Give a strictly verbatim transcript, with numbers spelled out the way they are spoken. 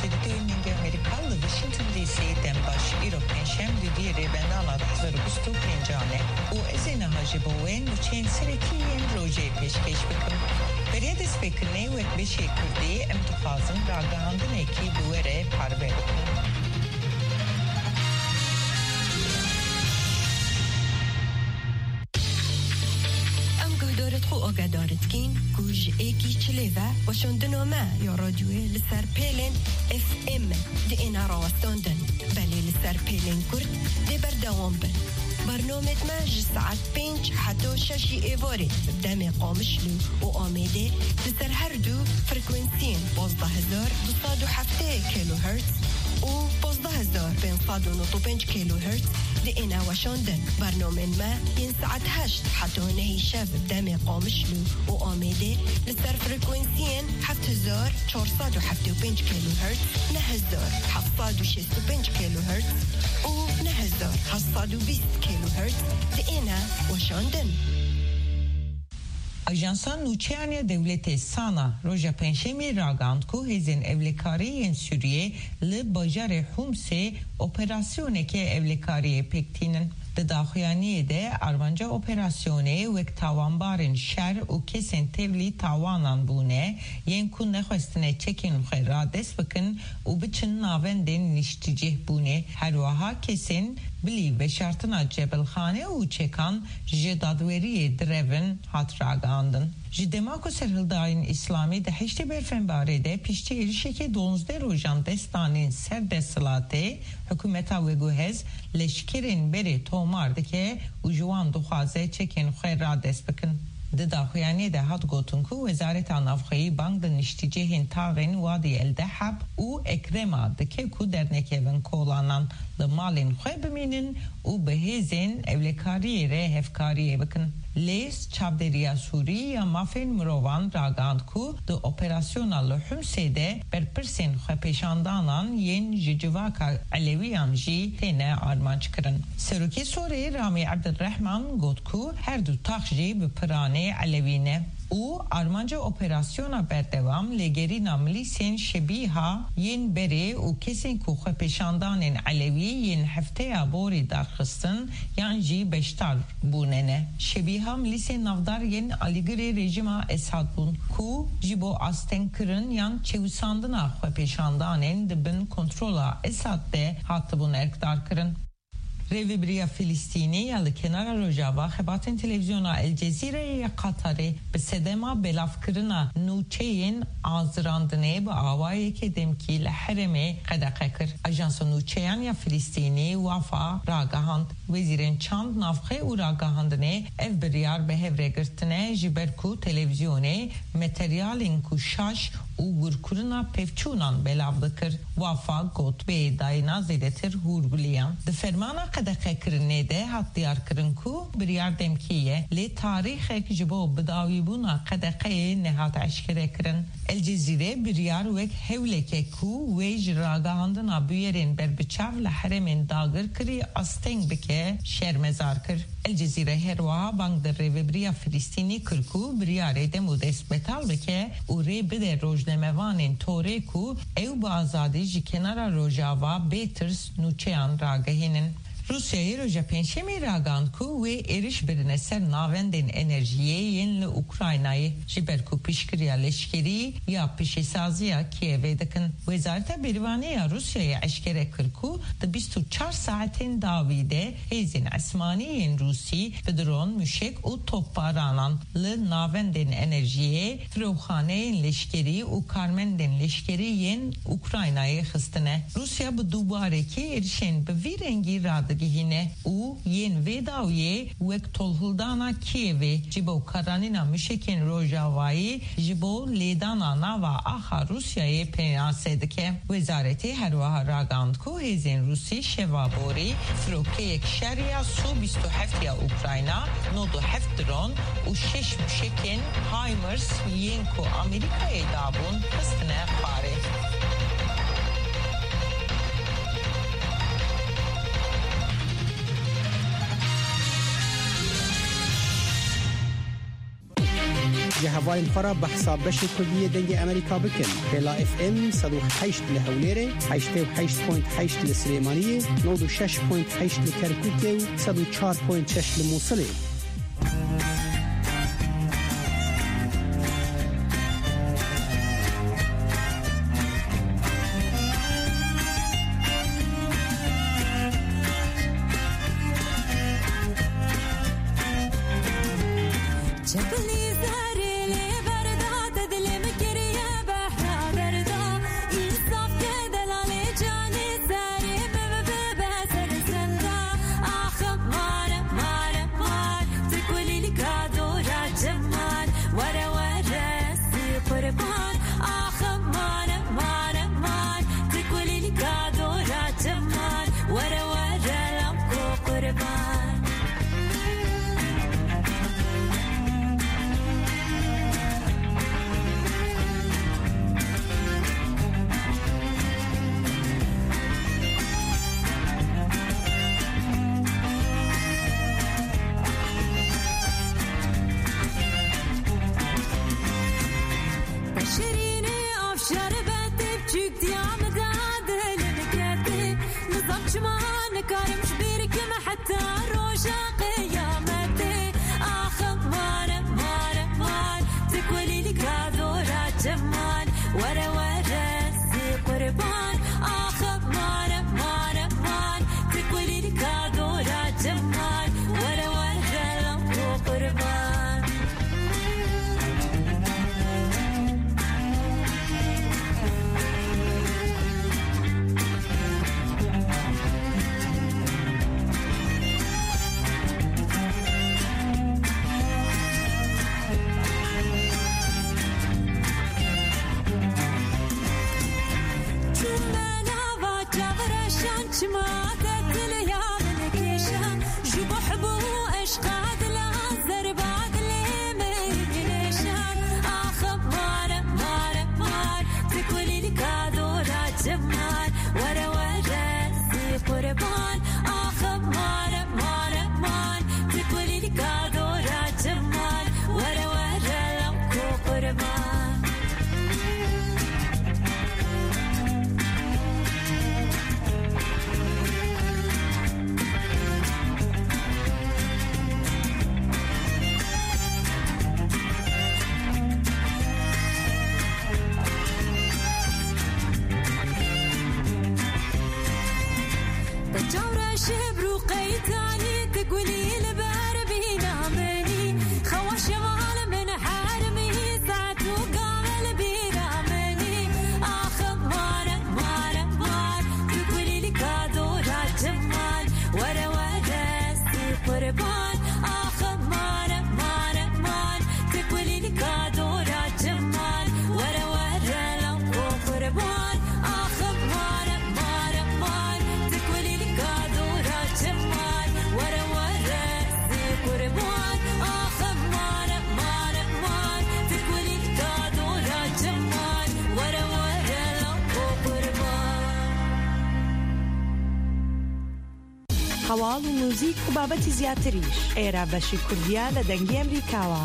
Stûdyoyên Dengê Amerîka li Washington D C dem baş. Îro pêncşem, dudiyê Rêvendana du hezar û bîst û pêncan e û ez ê niha ji bo we nûçeyên serekî yên rojê pêşkêş bikim. Beriya destpêkirinê, wek beşê Kurdî, em dixwazin ragihandinekî bi we re parve bikin. Em guhdarit xwe agedarit kîn ku ji êkî çilê ve weşandina me ya radyoyê li ser pêlên F M diêne rawestandin. Belê li ser pêlên kurt dê berdewam bin. Bernamed me ji saet pênc heta şeşî êvarê bi demê Qamişlo û Amêdê li ser her du frekwensiyên pazdeh hezar du sed û heftê kilohertz û pazdeh hezar pênc sed û nod û pênc kilohertz diêne weşandin. Bernamên me yên saet heşt heta nehê şev demê Qamişlo û Amêdê li ser frekwensiyên heft hezar çar sed û heft û pênc kilohertz, neh hezar heft sed û şêst û pênc kilohertz û neh hezar heft sed û bîst kilohertz diêne weşandin. Ajansa Nûçeyan ya Dewletê, sana, roja Pêncşemê ragihand ku hêzên ewlekarî yên Sûriyê li bajarê Humsê operasyoneke ewlekariyê pêk tînin. Di daxuyaniyê de, armanca operasyonê wek tawanbarên şer û kesên tevlî tawanan bûne, yên ku nexwestine çekên xwe radest bikin û biçin navendên nişticîh bûnê. Her wiha kesên bilî veşartina cebilxane û çekan ji dadweriyê direvin hat ragihandin. Ji dema ku serhildayên Îslamî di heştê Berfenbarê de piştî êrişeke duwazdeh rojan dest danîn ser desthilatê, hikûmeta veguhez leşkerên berê tomar dike û ji wan dixwaze çekên xwe radest bikin. Di daxuyaniyê de hat gotin ku Wezareta Navxweyî bang di nişticihên taxên Wadî El Dehab û Ekrema dike ku dernekevin kolanan, li malên xwe bimînin û bi hêzên ewlekariyê re hevkariyê bikin. Lê Çavdêriya Sûrî ya Mafên Mirovan ragihand ku di operasyona li Humsê de berpirsên xwepêşandanan yên ji civaka Elewiyan jî têne armanckirin. Serokê Sorê Ramî Ebdulrehman got ku her du tax jî bi piranê Elewî ne û armanca operasyona berdewam lêgerîna milîsên Şebîha yên berê û kesên ku xwepêşandanên Elewî yên hefteya borî darxistin yan jî beşdar bûne ne. Şebîha milîsên navdar yên alîgirê rejîma Esad bûn ku ji bo astengkirin yan çewisandina xwepêşandanên di bin kontrola Esad de hatibûn erkdarkirin. Rêvebiriya Filistînî ya li kenara Rojava xebatên televîzyona El Cezîreyê ya Qatarê bi sedema belavkirina nûçeyên azirandinê bi awayeke demkî li herêmê qedexe kir. Ajansa Nûçeyan ya Filistînî, Wafa, ragihand, wezîrên çand, navxwe û ragihandinê ev biryar bi hev re girtine, ji ber ku televîzyonê materyalên ku şaş û gurkirina pevçûnan belav dikir. Wafa got, bê dayîna zêdetir hûrgulî ye. Di fermana qedexekirinê de hat diyarkirin ku biryar demkî ye, lê tarîxek ji bo bidawîbûna qedexeyê nehat eşkerekirin. El Cezîre biryar wek hewleke ku wê ji ragihandina bûyerên berbiçav li herêmên dagirkirî asteng bike, şermezar kir. El Cezîre her wiha bang di rêvebiriya Filistînî kir ku biryarê dem û dest betal bike û rê bide rojnamevanên torê ku ew bi azadî ji kenara Rojava bê tirs nûçeyan ragihînin. Rûsyayê roja Pêncşemê ragihand ku wê êriş birine ser navendên enerjiyê yên li Ukraynayê, ji ber ku piştgiriya leşkerî ya piştîsaziya Kîevê dikin. Wezareta Bêrîvanê ya Rûsyayê eşkere kir ku di bîst û çar saetên dawî de hêzên esmanî yên Rûsî bi dron, muşek û topbaranan li navendên enerjiyê, firoxaneyên leşkerî û karmendên leşkerî yên Ukraynayê xistine. Rûsya bi dûbarekî êrişên bi vî rengî radigihîne û yên vê dawiyê wek tolhildana Kîevê ji bo karanîna muşekên Rojavayî ji bo lêdana nava axa Rûsyayê pênase dike. Wezaretê her wiha ragihand ku hêzên Rûsî şeva borî firokeyek şer ya Su bîst û heft ya Ukrayna, nod û heft dron û şeş muşekên HIMARS yên ku Amerîkayê dabûn, xistine xwarê. Ji hevalên xwe re behsa beşê Kurdî yê Dengê Amerîka bikin. Hêla F M sed û heşt li Hewlêrê, heştê û heşt point heşt li Silêmaniyê, nod û şeş point heşt li Kerkûkê û sed û çar point şeş li Mûsilê. Çepilî zerê lê berda, te dilê min kiriye behra derda. Însaf ke delalê canê serê min bibe ser zenda. Ax mare, mare, mar, tu kulîlka dora çiman. Were, were, sî qurban. Ax mare, mare, mar, tu kulîlka dora çiman. Were, were, lamko qurban. Te şirînê av şerbetê biçûk diya min de dilim ketê. Nizam çima nikarim ji bîr kim heta roja qiyametê. Ax mare, mare, mar, tu kulîlka dora çiman. Were, were, sî qurban. Ax mare, mare, mar, tu kulîlka dora çiman. Were, were, lamko qurban. Çûme nava çavreşan, çima te diliya min kêşan, ji bo hub û eşqa dila zerba dilê min nêşan. Ax mare, mare, mar, tu kulîlka dora çiman. Were, were, sî qurban. Ax mare, mare, mar, tu kulîlka dora çiman. Were, were, lamko qurban. Te çavreşê bi rû qeytanî, tu gulî li ber bîna min î. Xewa şeval min hermî, saet û gave li bîra min î. Ax mare, mare, mar, tu kulîlka dora çiman. Were, were, sî qurban. Ax mare, mare, mar, tu kulîlka dora çiman. Were, were, lamko qurban. Ax mare, mare, mar, tu kulîlka dora çiman. Were, were, sî qurban. Ax mare, mare, mar, tu kulîlka dora çiman. Were, were, lamko qurban. Heval û muzîk û babetî ziyatiriş. Êra beşî Kurdiya li Dengê Emerîka wa.